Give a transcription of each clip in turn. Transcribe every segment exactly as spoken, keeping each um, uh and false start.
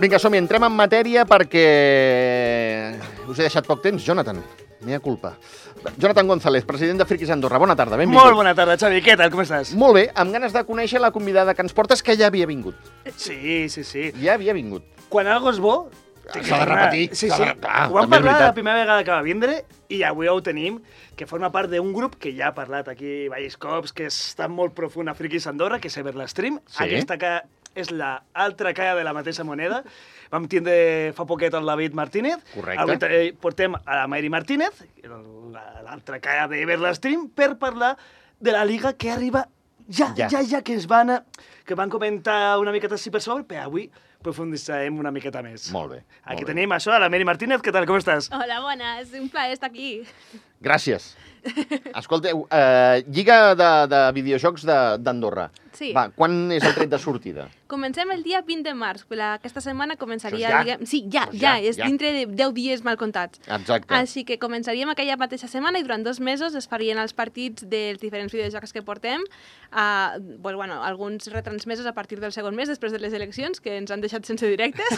Vinga, som-hi, entrem en matèria perquè us he deixat poc temps. Jonathan, mea culpa. Jonathan González, president de Friquis Andorra. Bona tarda, benvingut. Molt bona tarda, Xavi. Què tal, com estàs? Molt bé, amb ganes de conèixer la convidada que ens portes, que ja havia vingut. Sí, sí, sí. Ja havia vingut. Quan algo és bo... S'ha de repetir. Sí, s'ha sí. de- clar, Ho vam també és parlar la veritat. primera vegada que va vindre i avui ho tenim, que forma part d'un grup que ja ha parlat aquí diversos cops, que està molt profund a Friquis Andorra, que és Everlastream. Sí. Aquesta que és l'altra cara de la mateixa moneda. Vam tindre fa poquet el David Martínez. Correcte. Avui te- portem a la Mary Martínez, la- l'altra cara d'Everlastream, per parlar de la Liga que arriba ja, Ja. ja, ja, que es van, a- que van comentar una miqueta així per sobre, però avui profunditzarem una miqueta més. Molt bé. Aquí molt bé. tenim això, a la Mary Martínez. Què tal, com estàs? Hola, buenas. Un plaer estar aquí. Gràcies. Escolteu, eh, Lliga de, de videojocs de- d'Andorra. Sí. Va, quan és el tret de sortida? Comencem el dia vint de març. La- Aquesta setmana començaria... Això és ja? Diguem... Sí, ja, Doncs ja, ja, és ja. dintre de deu dies mal comptats. Exacte. Així que començaríem aquella mateixa setmana i durant dos mesos es farien els partits dels diferents videojocs que portem. Uh, pues, bueno, alguns retransmesos a partir del segon mes, després de les eleccions, que ens han deixat sense directes.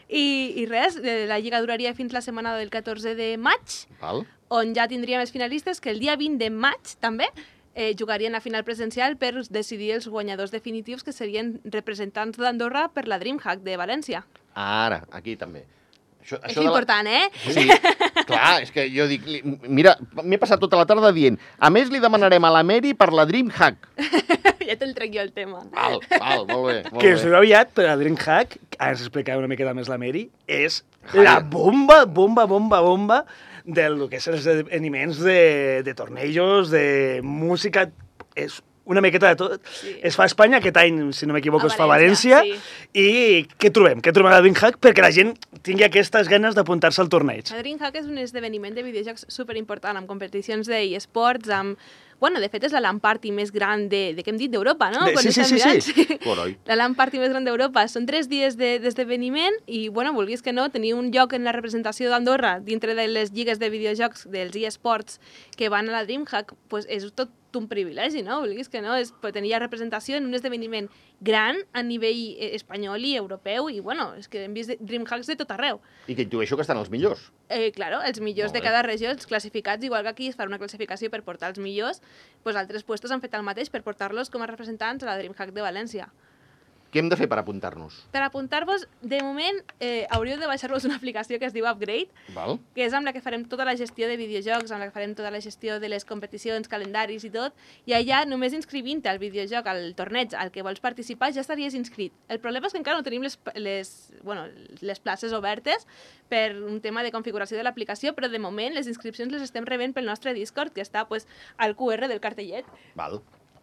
I, I res, eh, la lliga duraria fins la setmana del catorze de maig, Val? on ja tindríem els finalistes que el dia vint de maig també eh, jugarien a final presencial per decidir els guanyadors definitius que serien representants d'Andorra per la DreamHack de València. Ara, aquí també. Això, És de la- important, eh? Sí, clar, és que jo dic... li- Mira, m'he passat tota la tarda dient a més li demanarem a la Mary per la DreamHack. Ja te'l trec jo el tema. Val, val, molt bé. Molt Que bé. us ho aviat, però la DreamHack, ara us explicaré una miqueta més la Mary, és la bomba, bomba, bomba, bomba del que és els esdeveniments de, de tornejos, de música, és una miqueta de tot. Sí. Es fa a Espanya, aquest any, si no m'equivoco, A es fa a València. València, I què trobem? Què trobem a la DreamHack? Perquè la gent tingui aquestes ganes d'apuntar-se al torneig. La DreamHack és un esdeveniment de videojocs superimportant, amb competicions d'e-sports, amb... Bueno, de fet, és la LAN party més gran de, de què hem dit, d'Europa, no? De- Quan sí, sí, estem sí, sí. mirant. Coroi. La LAN party més gran d'Europa. Són tres dies de- d'esdeveniment i, bueno, vulguis que no, tenir un lloc en la representació d'Andorra dintre de les lligues de videojocs dels eSports que van a la DreamHack, pues és tot un privilegi, no? Vulguis que no, és tenir ja representació en un esdeveniment gran a nivell eh, espanyol i europeu i, bueno, és que hem vist DreamHacks de tot arreu. I que intueixo que estan els millors. Eh, claro, els millors Molt de bé. cada regió, els classificats, igual que aquí es fa una classificació per portar els millors, doncs altres puestos han fet el mateix per portar-los com a representants a la DreamHack de València. Què hem de fer per apuntar-nos? Per apuntar-vos, de moment, eh, hauríeu de baixar-vos una aplicació que es diu Upgrade, Val? que és amb la que farem tota la gestió de videojocs, amb la que farem tota la gestió de les competicions, calendaris i tot, i allà, només inscrivint-te al videojoc, al torneig al que vols participar, ja estaries inscrit. El problema és que encara no tenim les, les, bueno, les places obertes per un tema de configuració de l'aplicació, però de moment les inscripcions les estem rebent pel nostre Discord, que està pues, al Q R del cartellet. Val.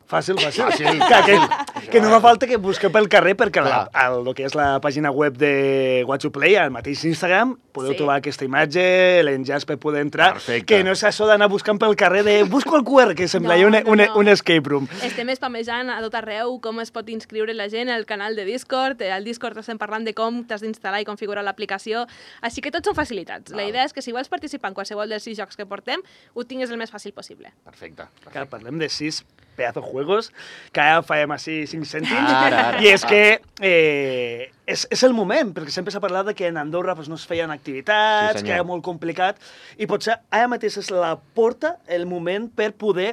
Fàcil, fàcil. Fàcil, que, que, fàcil. que no fa falta que busqueu pel carrer perquè la, Clar. el, el que és la pàgina web de Watch to Play, al mateix Instagram, podeu Sí. trobar aquesta imatge, l'enllaç per poder entrar, Perfecte. que no és això d'anar buscant pel carrer de busco el Q R, que sembla No, un, no, un, no. un escape room. Estem spamejant a tot arreu com es pot inscriure la gent al canal de Discord. Al Discord estem parlant de com t'has d'instal·lar i configurar l'aplicació. Així que tots són facilitats. La Val. idea és que si vols participar en qualsevol dels sis jocs que portem, ho tinguis el més fàcil possible. Perfecte. Que parlem de sis pedazos juegos, que ara farem així cinc cèntims, Ara, ara, i és va. que eh, és, és el moment, perquè sempre s'ha parlat de que en Andorra pues, no es feien activitats, Sí, que senyor. era molt complicat, i potser ara mateix és la porta, el moment per poder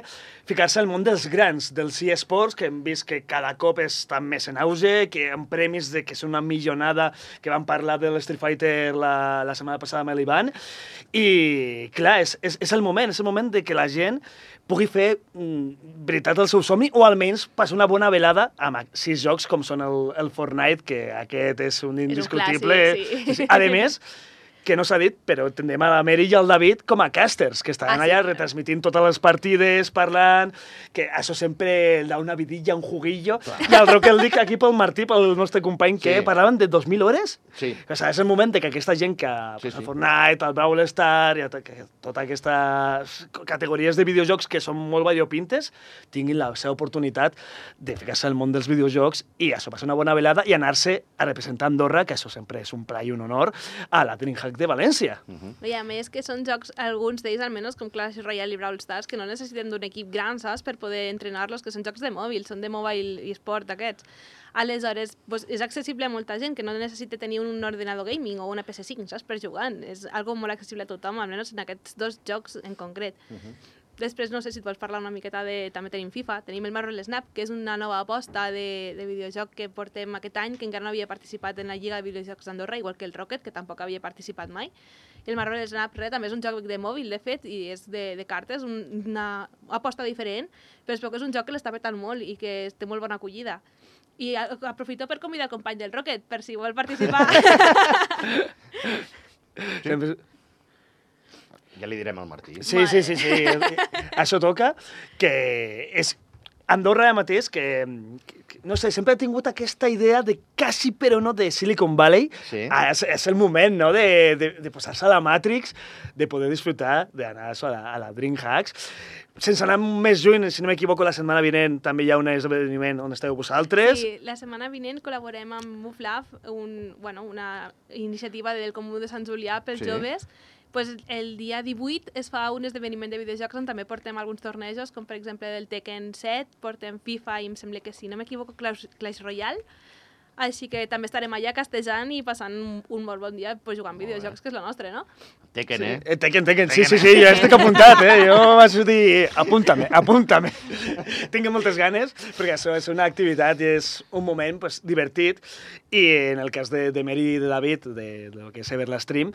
ficar-se al món dels grans, dels eSports, que hem vist que cada cop estan més en auge, que en premis de que és una milionada, que vam parlar de l'Street Fighter la, la setmana passada amb l'Ivan, i clar, és, és, és el moment, és el moment de que la gent pugui fer mm, veritat el seu somni o almenys passar una bona velada amb sis jocs com són el, el Fortnite, que aquest és un indiscutible. clàssic, sí. Sí. A més, que no s'ha dit, però tindrem a la Mary i al David com a casters, que estaran Ah, sí, allà clar. retransmitint totes les partides, parlant, que això sempre da una vidilla, un juguillo. I el Rocket League aquí pel Martí, pel nostre company, que Sí. parlaven de dos mil hores. Sí. O sigui, és el moment de que aquesta gent que Sí, sí, sí. sí. el Fortnite, el Brawl Star, i tot- que totes aquestes categories de videojocs que són molt variopintes, tinguin la seva oportunitat de ficar-se al món dels videojocs i això, passar una bona velada i anar-se a representar Andorra, que això sempre és un pla i un honor, a la DreamHack joc de València. Uh-huh. I a més que són jocs, alguns d'ells almenys, com Clash Royale i Brawl Stars, que no necessiten d'un equip gran, saps?, per poder entrenar-los, que són jocs de mòbil, són de mobile i esport aquests. Aleshores, pues, és accessible a molta gent que no necessita tenir un ordenador gaming o una P S cinc, saps?, per jugar. És algo molt accessible a tothom, almenys en aquests dos jocs en concret. Uh-huh. Després, no sé si et vols parlar una miqueta de... També tenim FIFA, tenim el Marvel Snap, que és una nova aposta de, de videojoc que portem aquest any, que encara no havia participat en la Lliga de Videojocs d'Andorra, igual que el Rocket, que tampoc havia participat mai. I el Marvel Snap, res, també és un joc de mòbil, de fet, i és de, de cartes, un, una aposta diferent, però és que és un joc que l'està petant molt i que té molt bona acollida. I aprofito per convidar el company del Rocket, per si vol participar. Sí. Ja li direm al Martí. Sí, sí, sí, sí. Això toca, que és Andorra ara mateix, que, que, no sé, sempre he tingut aquesta idea de quasi però no de Silicon Valley. Sí. Ah, és, és el moment, no?, de, de, de posar-se a la Matrix, de poder disfrutar, d'anar a la, a la DreamHacks. Sense anar més lluny, si no m'equivoco, la setmana vinent també hi ha un esdeveniment on esteu vosaltres. Sí, la setmana vinent col·laborem amb MoveLab, un, bueno, una iniciativa del Comú de Sant Julià pels Sí. joves. Pues el dia divuit es fa un esdeveniment de videojocs on també portem alguns tornejos, com per exemple del Tekken set, portem FIFA i em sembla que, si no m'equivoco, Clash, Clash Royale. Així que també estarem allà castejant i passant un, un molt bon dia pues, jugant videojocs, que és la nostra, no? Tekken, Sí. eh? Eh, Tekken, Tekken, sí, sí, sí, jo estic apuntat, eh? Jo vaig dir, apunta-me, apunta-me. Tinc moltes ganes, perquè això és una activitat i és un moment pues, divertit, i en el cas de, de Meri i de David, de, de lo que és Ever la Stream,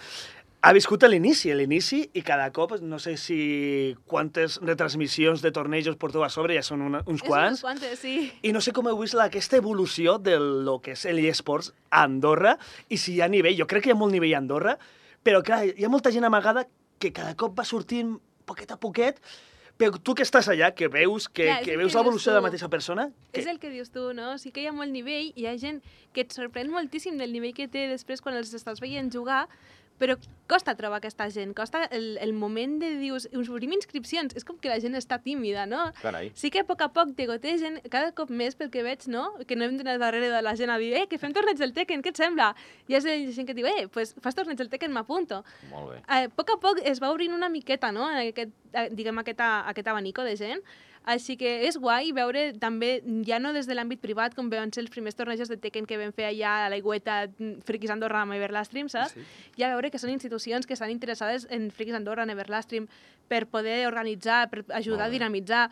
ha viscut a l'inici, a l'inici, i cada cop, no sé si quantes retransmissions de tornejos porteu a sobre, ja són una, uns quants. És uns quantes, sí. I no sé com heu vist la, aquesta evolució de lo que és l'eSports a Andorra, i si hi ha nivell, jo crec que hi ha molt nivell a Andorra, però clar, hi ha molta gent amagada que cada cop va sortint poquet a poquet, però tu que estàs allà, que veus, que, Clar, és que el veus que l'evolució dius de la tu. mateixa persona... Que... És el que dius tu, no? Sí que hi ha molt nivell, hi ha gent que et sorprèn moltíssim del nivell que té després quan els estàs veient jugar, però costa trobar aquesta gent, costa el, el moment de dius, us obrim inscripcions, és com que la gent està tímida, no? Carai. Sí que a poc a poc te gotegen, cada cop més pel que veig, no? Que no hem d'anar darrere de la gent a dir, eh, que fem torneig del Tekken, què et sembla? I és la gent que diu, eh, pues fas torneig del Tekken, m'apunto. Molt bé. A poc a poc es va obrint una miqueta, no?, aquest, diguem, aquest, aquest abanico de gent. Així que és guai veure també, ja no des de l'àmbit privat, com van ser els primers tornejos de Tekken que vam fer allà a l'aigüeta Friquis Andorra amb Everlastream, saps? Sí. Ja veure que són institucions que estan interessades en Friquis Andorra, en Everlastream, per poder organitzar, per ajudar a dinamitzar.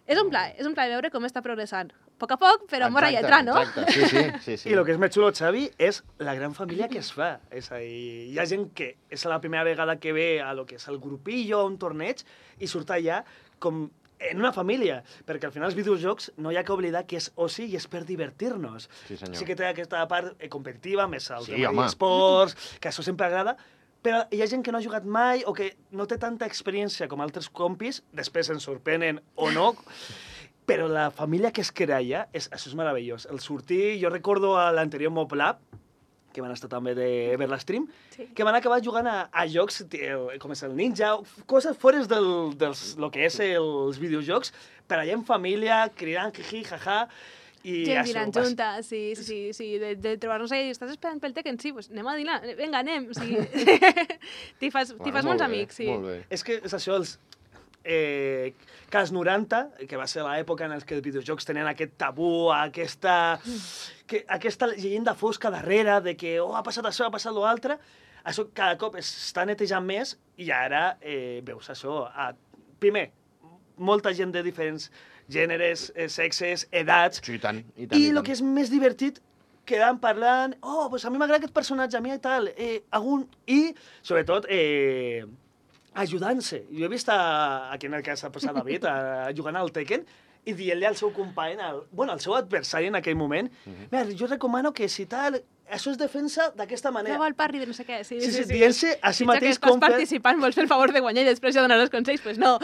És un plaer, és un plaer veure com està progressant. A poc a poc, però amb hora i lletra, no? Exacte, sí, sí, sí, sí. I el que és més xulo, Xavi, és la gran família que es fa. És a dir, hi ha gent que és la primera vegada que ve a lo que és el grupillo, a un torneig, i surt allà com en una família, perquè al final els videojocs no hi ha que oblidar que és oci i és per divertir-nos. Sí, senyor. Sí que té aquesta part eh, competitiva, més el Sí, tema home. d'esports, que això sempre agrada, però hi ha gent que no ha jugat mai o que no té tanta experiència com altres compis, després ens sorprenen o no, però la família que es crea allà, és, això és meravellós. El sortir, jo recordo a l'anterior MobLab, que van estar també d'Everlastream, Sí. que van acabar jugant a, a jocs tio, com és el Ninja, coses fores del, dels, lo que és els videojocs, per allà en família, cridant, jiji, jaja, i Gent això, dinant vas- junta, sí, sí, sí, sí, de, de trobar-nos allà i estàs esperant pel Tekken, sí, pues anem a dinar, vinga, anem, sí. T'hi fas, t'hi fas Molt molts bé, amics, sí. Molt bé. És que és això, els... Eh, que als noranta, que va ser l'època en què els videojocs tenien aquest tabú, aquesta, que, aquesta llegenda fosca darrere de que oh, ha passat això, ha passat l'altre, això cada cop està netejant més i ara eh, veus això. A, primer, molta gent de diferents gèneres, eh, sexes, edats, Sí, i tant, i tant. i el que és més divertit, quedant parlant, oh, pues a mi m'agrada aquest personatge, a mi i tal, eh, algun... I, sobretot, eh, ajudant-se. Jo he vist, a, aquí en el cas ha posat David, a, jugant al Tekken, i dient-li al seu company, al, bueno, al seu adversari en aquell moment, mira, jo recomano que si tal, això és defensa d'aquesta manera. Prova el parry de no sé què, sí, Sí, sí, sí, dient-se a si Pitjor mateix que estàs com fer... participant, vols fer el favor de guanyar i després ja donar els consells, pues no.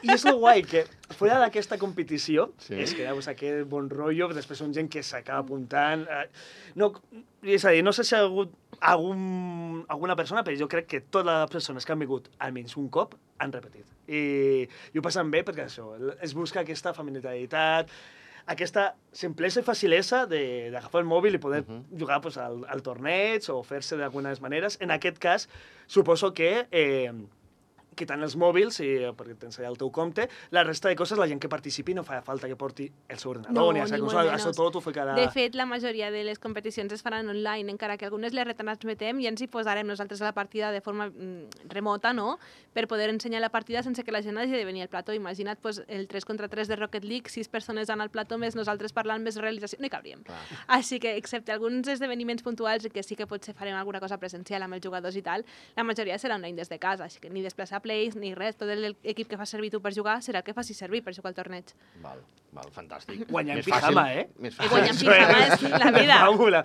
I és el guai, que fora d'aquesta competició, Sí. sí. és que pues, aquest bon rotllo, després són gent que s'acaba apuntant... Eh, no, és a dir, no sé si ha hagut algun, alguna persona, però jo crec que totes les persones que han vingut almenys un cop han repetit. I, i ho passen bé perquè això, es busca aquesta familiaritat, aquesta simplesa i facilesa d'agafar el mòbil i poder uh -huh. jugar pues, al, al torneig o fer-se d'algunes maneres. En aquest cas, suposo que... Eh, quitant els mòbils, i, perquè tens allà el teu compte, la resta de coses, la gent que participi no fa falta que porti el seu ordenador, no, ni, ni la molt consola, menys. això tot ho ficarà... De fet, la majoria de les competicions es faran online, encara que algunes les retransmetem i ens hi posarem nosaltres a la partida de forma mm, remota, no?, per poder ensenyar la partida sense que la gent hagi de venir al plató. Imagina't pues, el tres contra tres de Rocket League, sis persones anant al plató, més nosaltres parlant, més realització, no hi cabríem. Clar. Així que, excepte alguns esdeveniments puntuals que sí que potser farem alguna cosa presencial amb els jugadors i tal, la majoria serà online des de casa, així que ni desplaçar plays ni res, tot l'equip que fa servir tu per jugar serà el que facis servir per jugar al torneig. Val, val, fantàstic. Guanyar en pijama, eh? Més fàcil. Guanyar en pijama és la vida. Fàbula.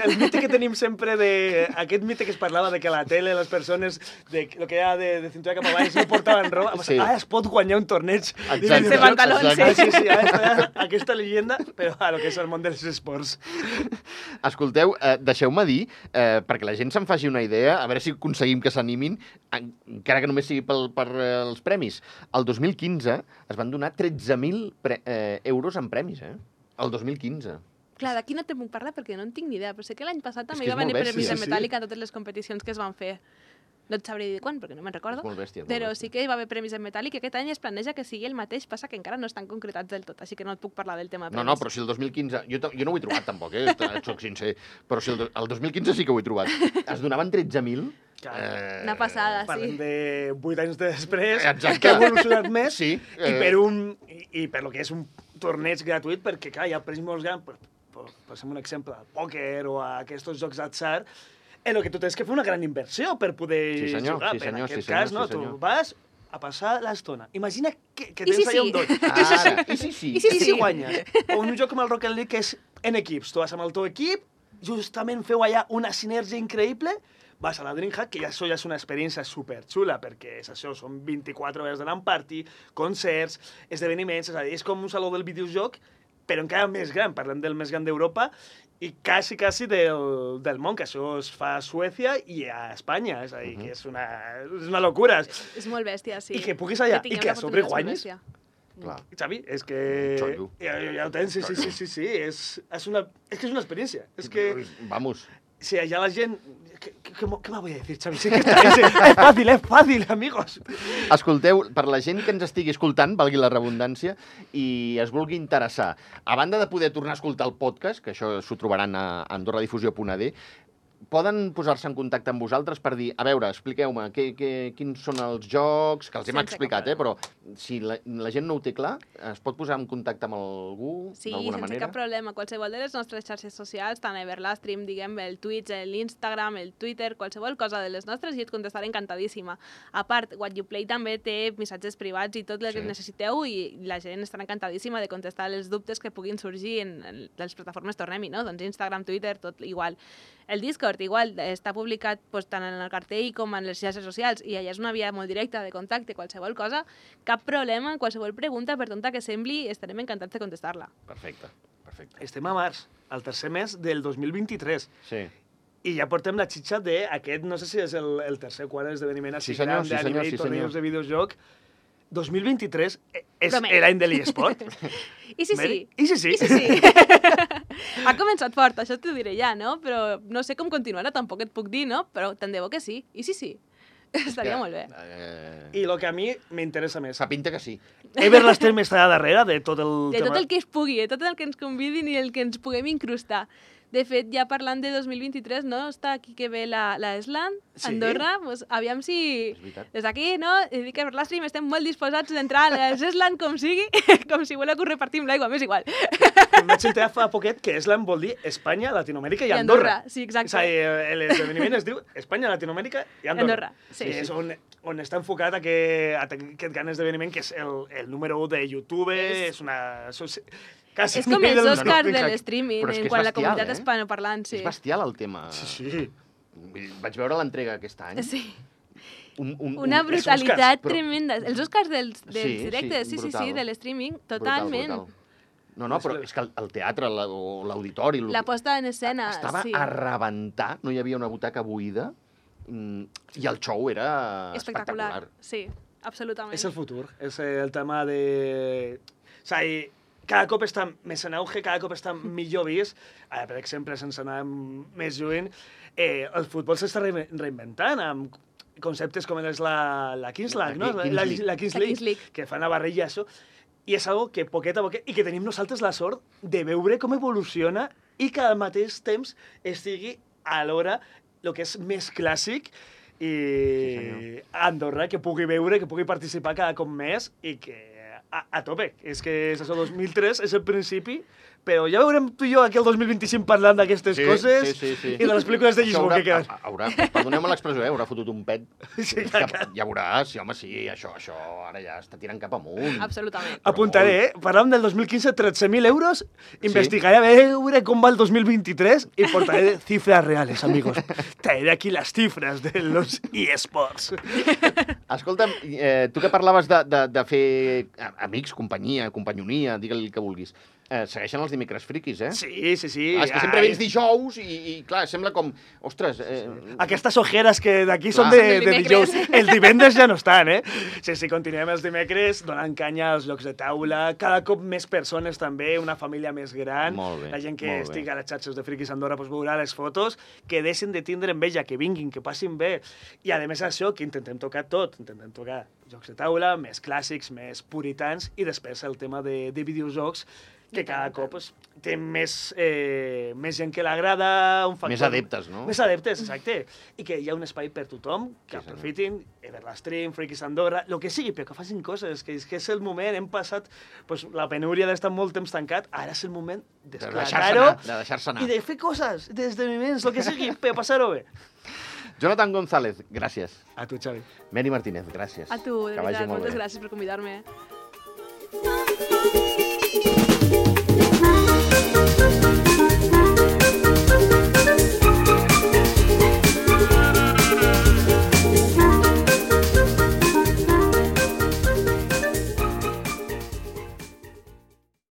El mite que tenim sempre de... Aquest mite que es parlava de que a la tele les persones, de lo que era de, de cintura cap avall, no portaven roba, sí. Ah, es pot guanyar un torneig. Sense pantalons, sí. Ah, sí, sí, aquesta, aquesta llegenda, però a lo que és el món dels esports. Escolteu, eh, deixeu-me dir, eh, perquè la gent se'n faci una idea, a veure si aconseguim que s'animin, encara que només sigui pel, per eh, els premis. El dos mil quinze es van donar tretze mil eh, euros en premis, eh? El dos mil quinze. Clar, d'aquí no te puc parlar perquè no en tinc ni idea, però sé que l'any passat també hi va venir premis bèstia, en sí. metàl·lic a totes les competicions que es van fer. No et sabré dir quan, perquè no me'n recordo, És molt bèstia, és molt però bèstia. sí que hi va haver premis en metàl·lic i aquest any es planeja que sigui el mateix, passa que encara no estan concretats del tot, així que no et puc parlar del tema de No, premis. no, però si el dos mil quinze... Jo, jo no ho he trobat tampoc, eh? Soc sincer. Però si el, el dos mil quinze sí que ho he trobat. Es donaven tretze mil... Eh... Una passada, sí. Parlem de vuit anys després, Exacte. que ha evolucionat més, sí, eh... i, per un, i, i per lo que és un torneig gratuït, perquè clar, hi ha premis molt grans, per, per, per un exemple, al pòquer o a aquests jocs d'atzar, en el que tu tens que fer una gran inversió per poder sí, senyor, jugar. Sí, senyor, en aquest sí, senyor, cas, no, sí, senyor. tu vas a passar l'estona. Imagina que, que I tens si allà sí? un dot. Ara, i si sí? I si I si sí? guanyes? O un joc com el Rocket League, que és en equips. Tu vas amb el teu equip, justament feu allà una sinergia increïble, vas a la DreamHack, que ja això ja és una experiència superxula, perquè és això, són vint-i-quatre hores de LAN party, concerts, esdeveniments, és a dir, és com un saló del videojoc, però encara més gran, parlem del més gran d'Europa, i quasi, quasi del, del món, que això es fa a Suècia i a Espanya, és a dir, uh -huh. que és una, és una locura. És, és molt bèstia, sí. I que puguis allà, que i que a sobre guanyis. Clar. Xavi, és que... Xollo. Ja, ja ho tens, sí, sí, sí, sí, sí. És, és, una, és que és una experiència. És que... Vamos. Si allà la gent... ¿Qué, qué, qué, qué me voy a decir, Xavi? Sí que està, és, és fàcil, és fàcil, amigos. Escolteu, per la gent que ens estigui escoltant, valgui la redundància, i es vulgui interessar, a banda de poder tornar a escoltar el podcast, que això s'ho trobaran a andorradifusió punt a d, poden posar-se en contacte amb vosaltres per dir, a veure, expliqueu-me què, què, quins són els jocs, que els hem Sense explicat, eh, però si la, la gent no ho té clar, es pot posar en contacte amb algú Sí, d'alguna sense manera? cap problema. Qualsevol de les nostres xarxes socials, tant Everlastream, diguem, el Twitch, l'Instagram, el Twitter, qualsevol cosa de les nostres, i et contestaré encantadíssima. A part, What You Play també té missatges privats i tot el que Sí. necessiteu, i la gent estarà encantadíssima de contestar els dubtes que puguin sorgir en, en les plataformes Tornem-hi, no? Doncs Instagram, Twitter, tot igual. El Discord, igual, està publicat pues, tant en el cartell com en les xarxes socials, i allà és una via molt directa de contacte, qualsevol cosa, cap problema, qualsevol pregunta, per tonta que sembli, estarem encantats de contestar-la. Perfecte, perfecte. Estem a març, al tercer mes del dos mil vint-i-tres. Sí. I ja portem la xitxa d'aquest, no sé si és el, el tercer o quart esdeveniment així Sí, senyor, gran sí, de senyor, nivell sí, tornejos senyor. de videojoc. dos mil vint-i-tres és Promet. l'any de l'eSport. I sí, Mary? sí. I sí, sí. I sí, sí. Ha començat fort, això t'ho diré ja, no? Però no sé com continuarà, tampoc et puc dir, no? Però tant de bo que sí. I sí, sí. Estaria que, molt bé. Eh... I el que a mi m'interessa més. Fa pinta que sí. Everlastream està darrere de tot el De tema. tot el que es pugui, de tot el que ens convidin i el que ens puguem incrustar. De fet, ja parlant de dos mil vint-i-tres, no? Està aquí que ve la, la Eslan, Sí. Andorra, pues, aviam si... És veritat. Des d'aquí, no? I dic que per l'Astream estem molt disposats d'entrar a les Eslan com sigui, com si voleu que ho repartim l'aigua, m'és igual. Em vaig enterar fa poquet que Eslan vol dir Espanya, Latinoamèrica i I Andorra. Andorra, sí, exacte. És a dir, l'esdeveniment es diu Espanya, Latinoamèrica i Andorra. Andorra, sí. I és on, on està enfocat aquest, aquest gran esdeveniment, que és el, el número u de YouTube, és, és una... Això és, quasi És com nivell els del- Oscars no, de no, l'streaming, Però és que en és quant a la bestial, comunitat eh? hispanoparlant, sí. És bestial el tema. Sí, sí. Vaig veure l'entrega aquest any. Sí. Un, un, Una un... brutalitat Oscars, però- tremenda. Els Oscars dels, dels Sí, sí, directes, sí, sí, sí, brutal. de l'streaming, Brutal, totalment. brutal. No, no, però és que el, el teatre la, o l'auditori... lo- La posta en escena, estava sí. a rebentar, no hi havia una butaca buida, mm, i el show era Espectacular, espectacular. sí, absolutament. És el futur, és el tema de... O sigui, cada cop està més en auge, cada cop està millor vist. Ara, per exemple, sense anar més lluny, eh, el futbol s'està re reinventant amb conceptes com és la, la Kings League, no? La, la, la Kings League, Kings League, que fan a barrilla això. I és algo que poquet a poquet, i que tenim nosaltres la sort de veure com evoluciona i que al mateix temps estigui alhora el que és més clàssic i sí, Andorra, que pugui veure, que pugui participar cada cop més i que a, a tope. És que és això, dos mil tres és el principi, però ja veurem tu i jo aquí el dos mil vint-i-cinc parlant d'aquestes Sí, coses sí, sí, sí. i de les pel·lícules de Això Lisboa haurà, que queden. a- haurà, perdoneu-me l'expressió, eh? Haurà fotut un pet. Sí, Que clar. ja veuràs, sí, home, sí, això, això ara ja està tirant cap amunt. absolutament. Apuntaré, eh? Parlàvem del dos mil quinze, tretze mil euros, investigaré a veure com va el dos mil vint-i-tres i portaré cifras reales, amigos. Traeré aquí las cifras de los eSports. Escolta'm, eh, tu que parlaves de, de, de fer a- amics, companyia, companyonia, digue-li el que vulguis, eh, segueixen els dimecres friquis, eh? Sí, sí, sí. Ah, és que sempre Ai, vens dijous i, i clar, sembla com... Ostres, eh, Aquestes ojeres que d'aquí són Clar. de, Són del de dimecres. dijous. Els divendres ja no estan, eh? Sí, sí, continuem els dimecres donant canya als llocs de taula, cada cop més persones també, una família més gran. Molt bé, La gent que molt bé. estigui a les xarxes de Friquis Andorra pues, veurà les fotos, que deixin de tindre enveja, que vinguin, que passin bé. I a més això, que intentem tocar tot, intentem tocar jocs de taula, més clàssics, més puritans, i després el tema de, de videojocs, que cada cop pues, té més, eh, més gent que l'agrada, un factor... Més adeptes, no? Més adeptes, exacte. I que hi ha un espai per tothom, que Sí, senyor. aprofitin, Everlastream, Friquis Andorra, el que sigui, però que facin coses, que és, que és el moment, hem passat pues, la penúria d'estar molt temps tancat, ara és el moment De deixar-se d'esclatar-ho anar, de deixar-se anar. i de fer coses, d'esdeveniments, el que sigui, per passar-ho bé. Jonathan González, gràcies. A tu, Xavi. Mary Martínez, gràcies. A tu, de Que vagi veritat, molt moltes bé. gràcies per convidar-me. Thank you.